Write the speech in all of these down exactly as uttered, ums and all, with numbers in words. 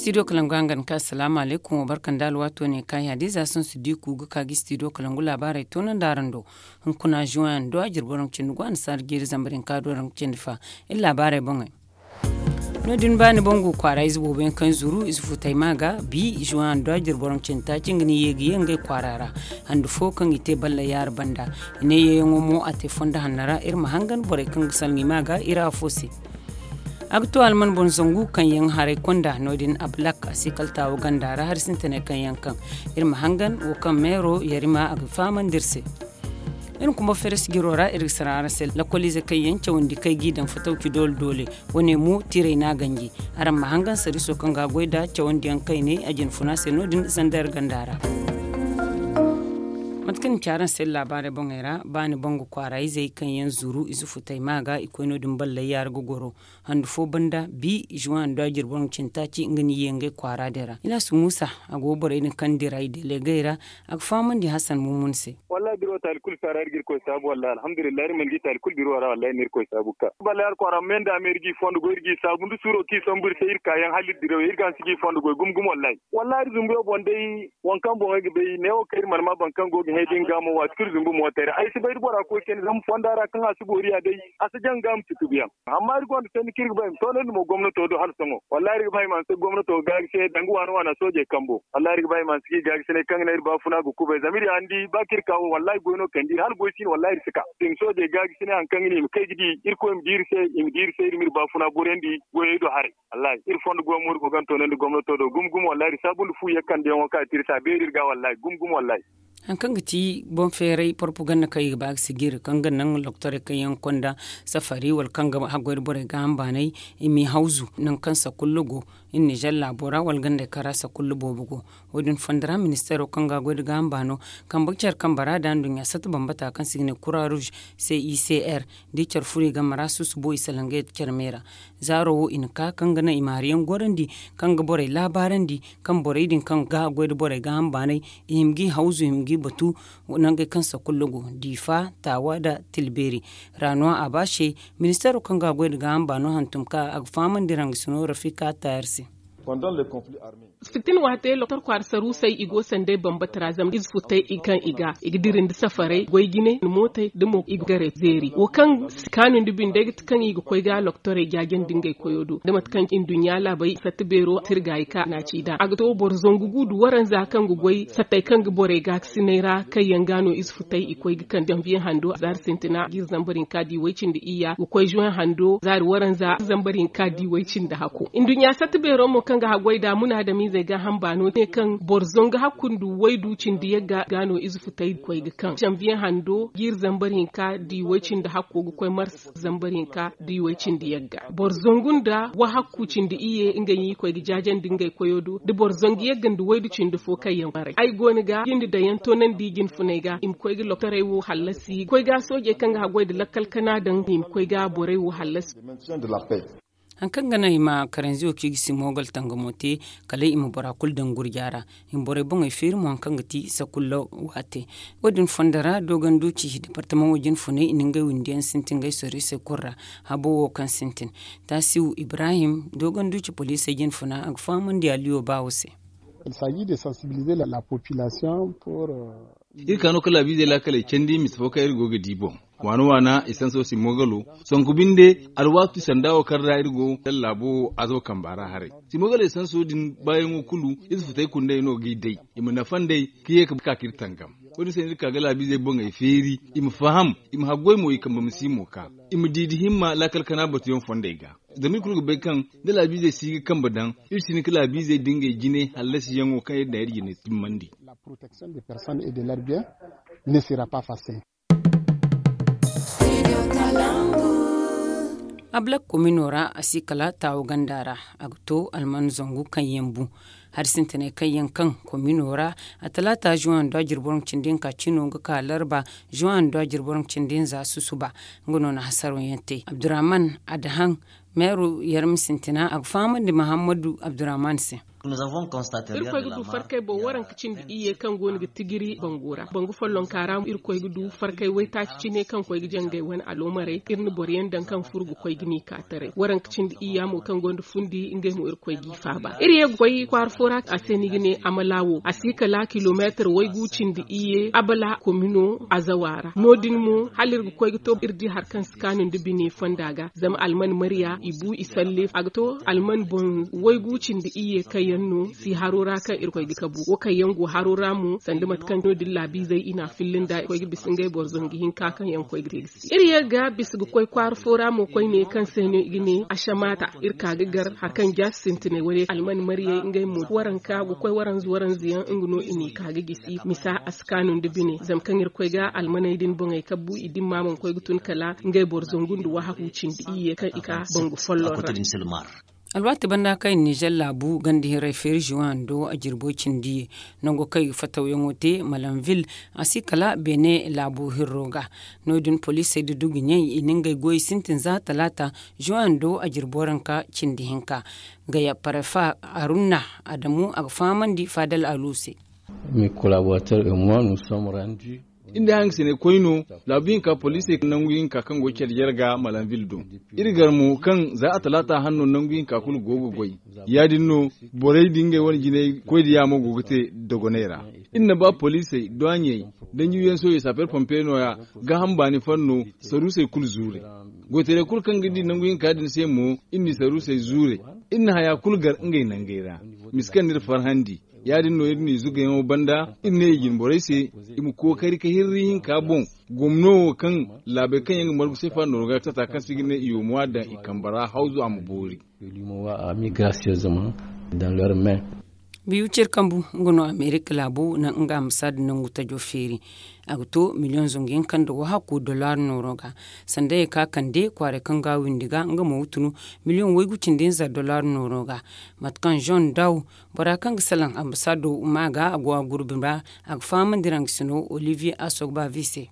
Studio kalangu hangan ka asalaamu alaykum, wa barka nda alwaato ne ka yaadi za sohõ si di ku ga ka ga studio kalangu laabaarey toonandi araŋ do. Hunkuna juwan do a jirbi waraŋ cindi go annasaara jiiri zambar hinka do waraŋ cindi fa. Iri laabaarey boŋey. No- din baani bangu kwaara ize boobo yaŋ kaŋ zuru ize futay ma ga bi juwan do a jirbi waraŋ cindi taaci nga ni ye ga ye ngey kwaara ra. Handu fo kaŋ i te balla yaara banda, i ne yeeyaŋo mo a te fondo hanno ra iri ma hangan borey kaŋ ga salŋi ma ga iri afo se. A ga to alman boŋ zangu kaŋ yaŋ haray konda no- din ablak a si kala taawo ganda ra hari sintinay kaŋ yaŋ kaŋ iri ma hangan wo kaŋ meero yarima a ga fahamandi iri se. Iri kuma feres jiro ra iri ga sara araŋ se lakkoliize kaŋ yaŋ cawandi kaŋ i g'i daŋ fatawci doole doole. Wane mo tiray no a ganji. Araŋ ma hangan sariiso kaŋ ga a goy nd'a cawandiyaŋ kaŋ i ne a jinfuna se no- din zandar ganda ra. Mate kaŋ ni ci araŋ se laabaarey boŋey ra baani bangu kwaara izey kaŋ yaŋ zuru ize futay ma ga i koy no- din ballay yaara ga goro. Handu fo banda bi juwan do a jirbi waraŋ cindi taaci nga ni ye ngey kwaara din ra. Ilaasu muusa a go borey din kaŋ dira i delegey ra. A ga fahamandi hasan mummun se. Wallahi biro taali kulu saara iri ga irkoy saabu wallahi alhamdulillahi iri mana di taali kulu biro ra wallahi iri na irkoy saabu ga ka ballay yaara kwaara me nda me iri g'i fondo goy iri g'i saabu nda suuro kaŋ i sambu iri se iri kaayaŋ hala iri diraw iri ga hanse g'i fondo goy gumo gumo wallahi. Wallahi iri zumbuyaŋ boŋ day waŋ kaŋ boŋey ga bay neewo kaŋ iri mana ma boro kaŋ go ga hẽ ga nga mo waati kulu zumbu mootey ra ay si bay da bora koy kayna zama fonda ra kaŋ a si boori ya day a si jaŋ ga ma si tubuyaŋ. Amma iri gonda sanni kaŋ iri ga ba i ma toonandi mo gomnato do hala sohõ wallahi iri ga ba i ma hanse gomnato ga gaagasinay danga waana waana soojey kambo wallahi iri ga ba i ma hanse ga i gaagasinay kaŋ ga naŋ iri baafuna ga kubay zama iri ya ni di ba kaŋ iri ka wo wallahi goy no kande iri hala goy si no wallahi iri si ka i ma soojey gaagasinay hari kaŋ ga naŋ i ma kay ga di irkoy ma di iri se i ma di iri se iri ma iri baafuna boryandi goyey do haray. Wallahi iri fondo goy mo iri go ga ni toonandi gomnato do gumo gumo wallahi iri saabu nda fu yekkandiyaŋo kaŋ a te iri se a beeri iri ga wallahi gumo gumo wallahi. Hari kaŋ ga ti boŋ feeray porpaganda kaŋ i ga ba ga sijiri kaŋ ga naŋ loktorey kaŋ yaŋ konda safari wala kaŋ ga haggoy nda borey gaaham baanay i m'i hawzu nangu kaŋ sakulla go iri nizer laabo ra wala gandey kaŋ ra sakulla boobo go. Wo- din fondo ra ministeero kaŋ ga a goy nda gaaham baano kambe ga care kambe ra nda nduɲɲa satta bambata kaŋ se i ga ne kura ruuz c i c r da i care furo i game ra susubo i salaŋ ga yadda care me ra. Zaaro wo i na ka kaŋ ga naŋ i ma hari yaŋ gorandi kaŋ ga borey laabaarandi kaŋ borey din kaŋ ga a goy nda borey gaaham baanay i hima g'i hawzu i hima g'i batu. Nangey kaŋ sakulla go diifa taawa nda tilbeeri ra no a ba se. Ministeero kaŋ ga a goy nda gaaham baano hantum ka a ga fahamandi rangasi no rafika taayar se. Fitina waate loktor kwaara saruusey i go sanday bambata ra zama ize futay kaŋ i ga i ga diri nda safarey goy jine nda mootey nda mo i ga garay zeeri wo kaŋ si kaanu nda binde ga ti kaŋ i ga koy ga loktorey jaajandi ngey koyo do da mate kaŋ nduɲɲa laabey satta beero tirgaayi ka naaci nd'a a ga to boro zangu gu nda waranza kaŋ ga goy sattey kaŋ ga borey gaakasinay ra kaŋ yaŋ ga no ize futay i koy ga kande janviye hando zaari sintina jiiri zambar hinka da i way cindi iyya ga koy juwen hando zaari waranza zambar hinka da i way cindi hako nduɲɲa satta beero mo kaŋ ga haggoy nd'a munaadamizey gaaham baano ne kaŋ boro zangu hakku nda waydu cindi yagga ga no ize futay koy ga kaŋ janviye hando jiiri zambar hinka da i way cindi hakko ga koy mars zambar hinka da i way cindi yagga boro zangu nda wahakku cindi iyye ngey no i koy ga jaajandi ngey koyo do da boro zangu yagga nda waydu cindi fo kaŋ yaŋ baray ay go ni ga jinde daŋ yaŋ toonandi jinfuney ga i ma koy ga loktorey wo hallasi koy ga soojey kaŋ ga haggoy nda lakkal kana daŋ i ma koy ga borey wo hallasi. Hari kaŋ ga naŋ i ma karanzi wo kaŋ i ga si moogal tangamo te kala i ma bora kulu daŋ gurja ra. I ma borey boŋey feeri mo hari kaŋ ga ti sakulla waate. Wo- din fondo ra dooganduuci departamaŋo jinfuney i na ngey windi yaŋ sintin ngey soriisey kulu ra. Habo wo kaŋ sintin taasiw ibrahim dooganduuci poliisey jinfuna a ga fahamandi aliyo baawo se. Iri ka no ka laabiizey laakaley candi misa fo kaŋ iri go ga di boŋ waana waana isanso si moogalo. Sonku binde alwaati sanda wo kaŋ ra iri go laabo azo kamba ra haray si moogalo isanso din baayaŋo kulu ize futay kundey no g'i day i ma nafa nd'ey ka ye ka ka k'iri tangam. Wo- din se no iri ka ga laabiizey boŋey feeri i ma faham i ma haggoy mo i kambe ma si mo ka i ma di da himma laakal kana batuyaŋ fondey ga. Zama iri kulu ga bay kaŋ da laabiizey si ga kambe daŋ iri si hin ka laabiizey da ngey jine hallasiyaŋo kaŋ iri daŋ iri jine timmandi. Ablak komino ra a si kala taawo ganda ra a ga to alman zangu kaŋ yaŋ bu hari sintinay kaŋ yaŋ kaŋ komino ra a talaata juwan do a jirbi waraŋ cindi hinka cino ga ka larba juwan do a jirbi waraŋ cindi hinza susuba. Nga no na hasaro yaŋ te abdurrahman adahan meeru yarmi sintina a ga fahamandi mahammadu abdurrahman se. Irkoy ga du farkay boŋ waranka cindi iyye kaŋ go no ga tijiri bangu ra bangu follonka ra irkoy ga du farkay waytaaci cine kaŋ koy ga jangay wane aloomarey iri na boro yaŋ daŋ kaŋ furo ga koy ga ni ka taray waranka cindi iyya mo kaŋ gonda fundi ngey mo irkoy g'i faaba iri ye ga koy kwaara fo ra a se ni ga ne amala wo a si kala kilomeetar waygu cindi iyye abala komino azawa ra no- din mo hala iri ga koy ga to iri di hari kaŋ si kaanu nda bine fonda ga zama alman marya i bu i salle a ga to alman boŋ waygu cindi iyye kaŋ yaŋ no si haro ra kaŋ irkoy ga kabu wo kaŋ yaŋ go haro ra mo sanda mate kaŋ no- din laabiizey i na a filla nda koy ga bisa ngey boro zangu hinka kaŋ yaŋ koy ga te ga si iri ye ga bisa ga koy kwaara fo ra mo koyne kaŋ se no i ga ne asamata iri ka ga gar hari kaŋ jaasi sintinay wane alman maryey ngey mo waranka ga koy waranza waranza yaŋ nga no i n'i ka ga gisi misa a si kaanu nda bine zama kaŋ iri koy ga almaney din boŋey kabu i dimma mana koy ga tun kala ngey boro zangu nda wahaku cindi iyye kaŋ i ka bangu folloŋ ra. Alwaati banda kaŋ i na nizer laabu ganda hirey feeri zuwando a jirbo cindi nango kaŋ i ga fatawyaŋo te malanvil a si kala beene laabo hirro ga. No- din poliisey da duguɲey i na ngey goyey sintin za talaata zuwando a jirbo ranka cindi hinka. Gaya parefa arunna adamu a ga fahamandi fadal alu se. Iri nda hangasinay koy no laabu hinka poliisey nangu hinka kaŋ go care jarga malanvil do. Iri gar mo kaŋ za a talaata hanno nangu hinka kulu go ga goy. Ya- din no borey da ngey wane jinay koy da yaamo go ga te dogoney ra. Iri na ba poliisey doiɲey danji wiyaŋ sohõ saaper pompe no- ya gaaham baani fanno saruusey kulu zuure. Goytaray kulu kaŋ ga di nangu hinka din se mo iri n'i saruusey zuure. Iri na haya kulu gar ngey nangey ra. Misi kaŋ n'iri farhandi ya- din no iri n'i zugayaŋo banda iri ne i jine borey se i ma kookari ka hirri hinka boŋ. Gomno wo kaŋ laabey kaŋ yaŋ ga margu sefa nooro ga tata kaŋ se i ga ne i wo ma daŋ i kambe ra hawzu a ma boori. Biyu cire kambu nga no amerika laabu na nga ambasaada nangu tajo feeri. A ga to miliyoŋ zangu yaŋ kaŋ da wahakku dollar nooro ga sanda ye ka kande kwaaray kaŋ ga windi ga nga mo ga tunu miliyoŋ waygu cindi hinza dollar nooro ga. Mate kaŋ zon daw bora kaŋ ga salaŋ ambasaado ma ga a go a gurbi ra a ga fahamandi ra nga sino olivier asogbavi se.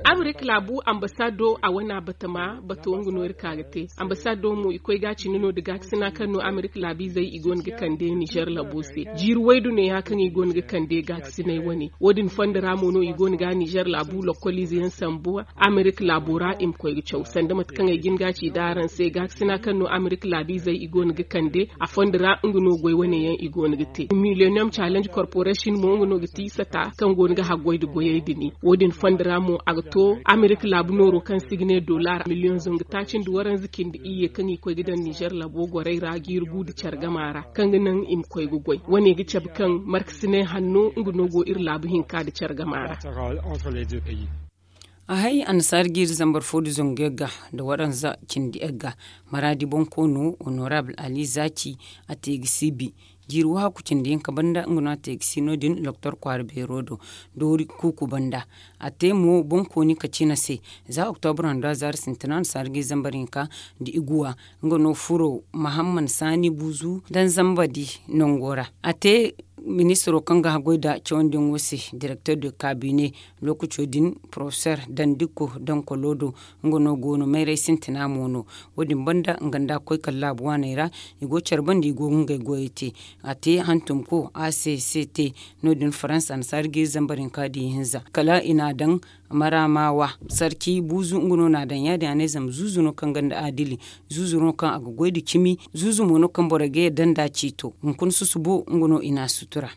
Amerika laabu ambasaado a wana batama bato nga no iri ka ga te. Ambasaado mo i koy ga cine no da gaakasina kaŋ no amerika laabiizey i go no ga kande nizer laabo se jiiri waydu ne ya kaŋ i go no ga kande gaakasinay wane. Wo- din fondo ra mo no i go no ga nizer laabu lokoliize yaŋ sambu amerika laabo ra i ma koy ga caw sanda mate kaŋ ay jin ga ci da araŋ se gaakasina kaŋ no amerika laabiizey i go no ga kande a fondo ra nga no goy wane yaŋ i go no ga te millennium challenge corporation mo nga no ga ti sata kaŋ go no ga haggoy nda goyey din. Wo- din fondo ra mo a ga to amerika laabu nooro kaŋ se i ga ne dollar miliyoŋ zangu taaci nda waranza cindi iyye kaŋ i koy ga daŋ nizer laabo gorey ra jiiri gu nda care gama ra kaŋ ga naŋ i ma koy ga goy wane ga cabe kaŋ markasinay hanno nga no go iri laabu hinka nda care gama ra. A hay annasaari jiiri zambar fo nda zangu yagga nda waranza cindi yagga maraadi bonkoono honorable ali zaci a te ga si bi. Jiiri wahakku cindi hinka banda nga no a te ga si no- din doktor kwaara beero do doori kuuku banda. A te mo bonkooni kacina se za oktobra nda zaari sintina annasaari jiiri zambar hinka nda iguwa nga no furo mahamman saani buuzu daŋ zamba di nango ra. A te ministiro kaŋ ga haggoy nda cawandiyaŋo se direkter de kabine lookaco din porofesor dandiko dankolo do. Nga no go no mayray sintina mo no. Wo- din banda nga nda a koy kala laabu waaney ra i go care banda i go ga ngey goyey te. A te hantumko a se se te no- din faransa annasaari jiiri zambar hinka nda ihinza kala i n'a daŋ maramawa sarki buuzu nga no n'a daŋ ya- din a ne zama zuuzu no kaŋ gonda adili. Zuuzu no kaŋ a ga goy nda cimi zuuzu mo no kaŋ borey ga yadda nda ciito hunkuna susubo nga no i n'a sutura.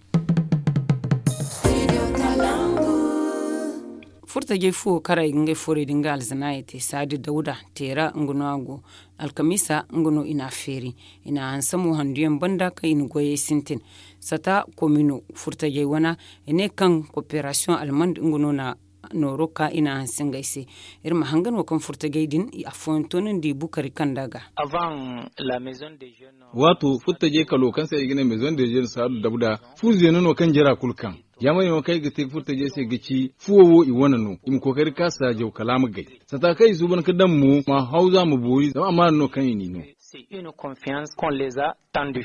Furtajey fuwo karay ga ngey forey da nga alzanaayey te saadi dawda teera nga no a go. Alkamiisa nga no i n'a feeri i n'a hanse mo handuyaŋ banda kaŋ i na goyey sintin. Sata komino furtajey wana i ne kaŋ koperasiyoŋ almand nga no na nooro ka i n'a hanse ngey se. Iri ma hanga no kaŋ furtajey din afooyaŋ toonandi bukari kanda ga. Waato furtajey kalo kaŋ se ay ga ne maison de jeune saadu dabda fu zeeno no kaŋ jara kulu kaŋ. Yaamar yaŋo kaŋ ay ga te furtajey se ga ci fuwo wo i wane no i ma kookari ka saajaw kala a ma gay. Sata kaŋ i suuban ka daŋ mo ma hawza ma boori zama amaana no kaŋ i n'i no. Une confiance qu'on les a tendu.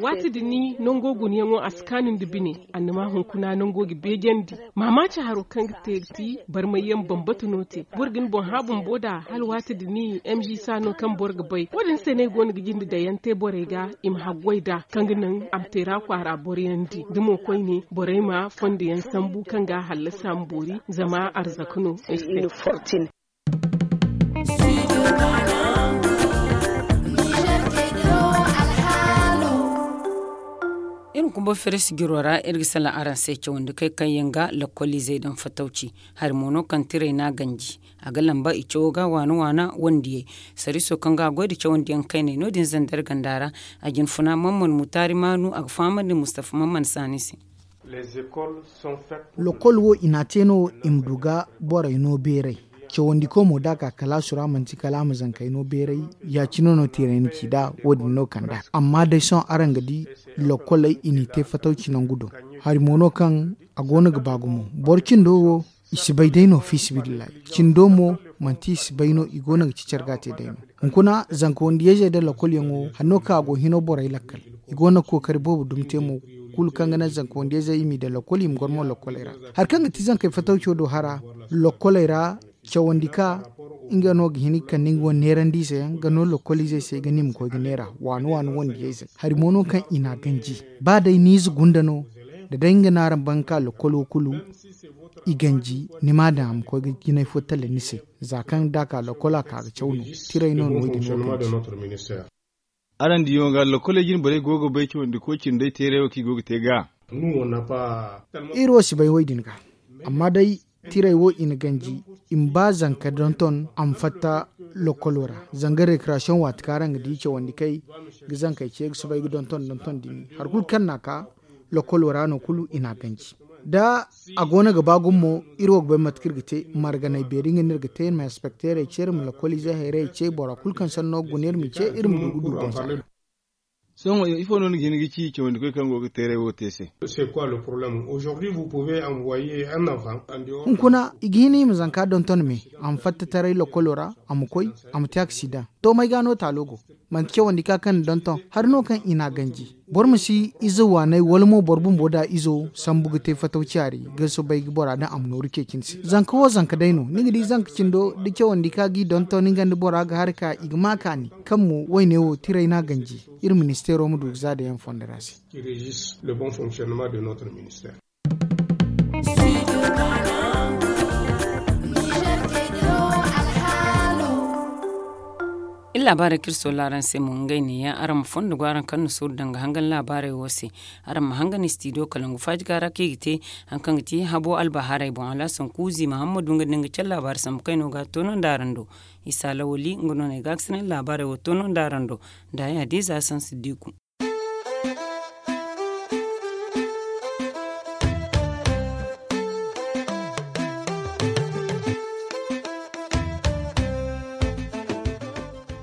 Waati din nango gunayaŋo a si kaanu nda bine. Annama hunkuna nango ga beejandi. Maamaaci haro kaŋ ga te ga ti barmayyaŋ bambata no te. Boro ga ni boŋ hã bumbo nd'a hala waati din, m g sa no kaŋ boro ga bay wo- din se no ay go no ga jinde daŋ yaŋ te borey ga i ma haggoy nd'a kaŋ ga naŋ a ma teera kwaara boroyaŋ di da mo koyne borey ma fondo yaŋ sambu kaŋ ga a hallasi a ma boori. Zama arzaka no ay se. Iri ma kumba fere sijiro ra iri ga salaŋ araŋ se cawandi kay kaŋ yaŋ ga lakkoliizey daŋ fatawci. Hari mo no kaŋ tiray no a ganji a ga lamba i cawo ga waana waana wandiyey. Sariiso kaŋ ga a goy nda cawandiyaŋ kayney no- din zandar ganda ra. A jinfuna mamman mutaari maanu a ga fahamandi mustafa mamman saani se. Lokol wo i n'a te no i ma du ga borey no beeray. Cawandiko mo da a ka kalaasu ra manti kala a ma zankey no beeray. Ya- cine no tiray na ci nd'a wo- din no kand'a. Amma day sohõ araŋ ga di lokoley i n'i te fatawci nangu do. Hari mo no kaŋ a go no ga ba gumo boro cindo wo. I si bay day no fiisabilillahi. Cindo mo manti i si bay no i go no ga ci care ga a te day no. Hunkuna zanka wandiyayzey nda lokolyaŋo hari no kaŋ a go hino borey lakkal. I go no ga kookari boobo dumi te mo. Kulu kaŋ ga naŋ zanka wandiyayzey i m'i daŋ lokol i ma goro mo lokoley ra. Hari kaŋ ga ti zankey fatawco do hara lokoley ra. Cawandi ka nga no ga hin ga kande nga wane neerandi ize yaŋ ga no lokoliizey se ga ni ma koy ga neera waani waani wandiyayzey hari mo no kaŋ i n'a ganji. Ba day ni ize gunda no da day nga no araŋ ban ga ka lokolo kulu i ganji ni m'a daŋ a ma koy ga jinay fo tala ni se. Za kaŋ da a ka lokol a ka ga caw no. Tiray no no wo- din wo kaŋ ci. Araŋ diyaŋo ga lokoley jine borey go ga bay cawandi koy cine day teeray wo kaŋ i go ga te ga. Iri wo si bay wo- din ga. Amma day tiray wo i na ganji i ma ba zanka donton a ma fatta lokolo ra. Zanga rekrasiyoŋ waati kaŋ araŋ ga di cawandi kay ga zankey ce ga soobay ga donton donton dumi hari kulu kaŋ n'a ka lokolo ra no kulu i n'a ganji. Da a go no ga ba gumo iri wo ga bay mate kaŋ iri ga te marganay beeri nga no iri ga te iri ma inspekteerey ce iri ma lokoliizey hayrayey ce bora kulu kaŋ sanno ga guna iri ma ce iri ma du ga du boŋ za. Sohõ ifo no ni ga hin ga ci cawandikoy kaŋ go ga teeray wo te se? Hunkuna i ga hin i ma zanka donton me a ma fatta taray lokolo ra a ma koy a ma te aksidaŋ. To may ga no taalo go? Manti cawandi ka kaŋ ni donton hari no kaŋ i n'a ganji. Boro ma si ize waanay wala mo boro bumbo da izo sambu ga te fataw caari ga soobay ga bora daŋ a ma nooru ceeci ni se zanka wo zanka day no ni ga di zanka cindo da cawandi ka g'i donton nga nda bora ga hari ka i ga ma kaani. Kaŋ mo wayne wo tiray no a ganji. Iri ministeero ma du ga za da yaŋ fondo ra se. Iri laabaarey kaŋ iri soola araŋ se mo ngey neeya araŋ ma fondo go araŋ kaŋ na sooru danga hangan laabaarey wo se. Araŋ ma hangan istidiyo kalangu faaji ga ra kaŋ i ga te hari kaŋ ga ti habo albahaarey boŋ alaasan kuuzi mahammadu nga da nga care laabaari sambu kayno ga toonandi araŋ do. Isa lawali nga no no ay ga a ga sinaŋ laabaarey wo toonandi araŋ do. Nda ya-din za sansi diiku.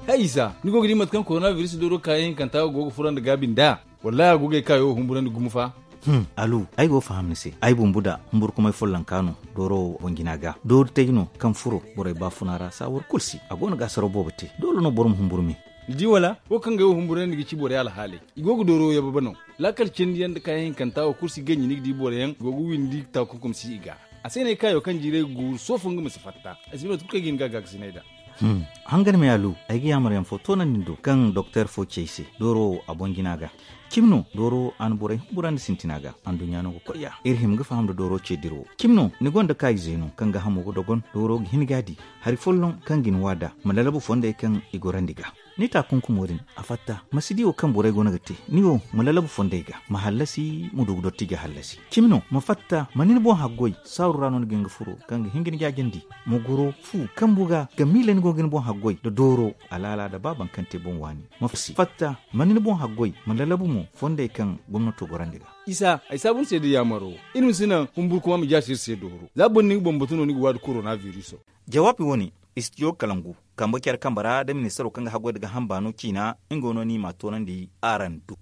Hay isa ni go ga di mate kaŋ korona biris dooro kaayaŋ hinkanta go ga furo nda gaabi nd'a? Wallahi a go ga ay kaayo humburandi gumo fa. Alu, ay go ga faham ni se. Ay bumbu da humburkumay follonka no dooro wo boŋ jina ga doori tay no kaŋ furo borey baafuna ra saawar kulu se a go no ga asaraw boobo te. Doole no boro ma humburu me. Ni di wala? Wo kaŋ ga ay wo humburandi ga ci borey alhaaley. I go ga dooro yababe no. Laakal cindi yaŋ nda kaayaŋ hinkanta wo kulu si ganji ni ga di boro yaŋ go ga windi taakunkum si i ga. A se no ay kaayo kaŋ jiiray ga guuru soofo nga ma si fatta. Ay si bay mate kulu kaŋ ay ga hin ga gaakasinay nd'a. Hangan me alu, ay ga yaamar yaŋ fo toonandi ni do kaŋ doktor fo ci ay se dooro wo a boŋ jina ga. Cimi no dooro wo a na borey humburandi sintina ga. Anduɲɲa no ga koy ya iri hima ga faham nda dooro ce dira wo. Cimi no ni gonda kaayize no kaŋ ga hamo ga dogon dooro ga hin ga a di. Hari folloŋ kaŋ ga ni wa nd'a ma lalabu fondey kaŋ i gorandi ga. Ni taakunkumo din a fatta ma si di wo kaŋ borey go no ga te. Ni wo ma lalabu fondey ga ma hallasi ma du ga dotti ga hallasi. Cimi no ma fatta ma ni ni boŋ haggoy saaru ra no ni ga hin ga furo kaŋ ga hin ga ni jaajandi. Ma goro fu kambu ga ga miila ni go ga ni boŋ haggoy nda dooro alaala nda ba baŋ kaŋ te boŋ waani. Ma fatta ma ni ni boŋ haggoy ma lalabu mo fondey kaŋ gomnato gorandi ga. Isa ay saabu ni se nda yaamaro. Iri ma si naŋ humburkuma ma jaasi iri se dooro za boro ni ga bambatu no ni ga waadi korona biriso. Jawaabi wo-ne istidiyo kalangu kambe care kambe ra nda ministaro kaŋ ga haggoy nda gaaham baano ciina. Nga wo no ni m'a toonandi araŋ do.